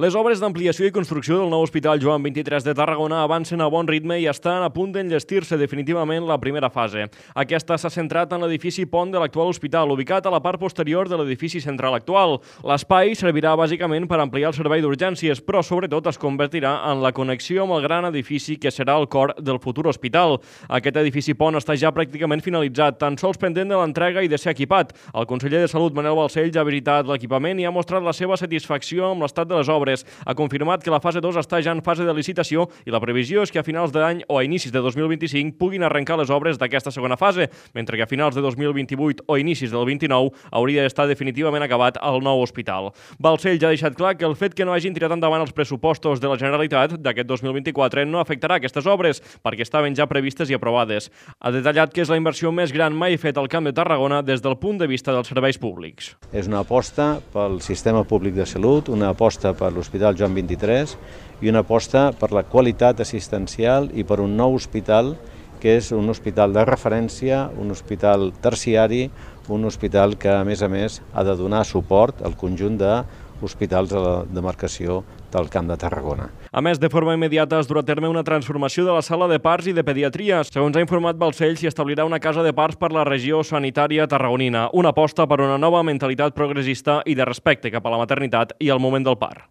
Les obres d'ampliació i construcció del nou Hospital Joan XXIII de Tarragona avancen a bon ritme i estan a punt d'enllestir-se definitivament la primera fase. Aquesta s'ha centrat en l'edifici pont de l'actual hospital, ubicat a la part posterior de l'edifici central actual. L'espai servirà bàsicament per ampliar el servei d'urgències, però sobretot es convertirà en la connexió amb el gran edifici que serà el cor del futur hospital. Aquest edifici pont està ja pràcticament finalitzat, tan sols pendent de l'entrega i de ser equipat. El conseller de Salut, Manel Balcells, ha visitat l'equipament i ha mostrat la seva satisfacció amb l'estat de les obres. Ha confirmat que la fase 2 està ja en fase de licitació i la previsió és que a finals d'any o a inicis de 2025 puguin arrencar les obres d'aquesta segona fase, mentre que a finals de 2028 o inicis del 29 hauria d'estar definitivament acabat el nou hospital. Balcells ja ha deixat clar que el fet que no hagin tirat endavant els pressupostos de la Generalitat d'aquest 2024 no afectarà aquestes obres, perquè estaven ja previstes i aprovades. Ha detallat que és la inversió més gran mai feta al Camp de Tarragona des del punt de vista dels serveis públics. És una aposta pel sistema públic de salut, una aposta per l'Hospital Joan XXIII i una aposta per la qualitat assistencial i per un nou hospital que és un hospital de referència, un hospital terciari, un hospital que a més ha de donar suport al conjunt d'hospitals de la demarcació del Camp de Tarragona. A més, de forma immediata es durà a terme una transformació de la sala de parts i de pediatria. Segons ha informat Balcells, s'hi establirà una casa de parts per la regió sanitària tarragonina, una aposta per una nova mentalitat progressista i de respecte cap a la maternitat i al moment del part.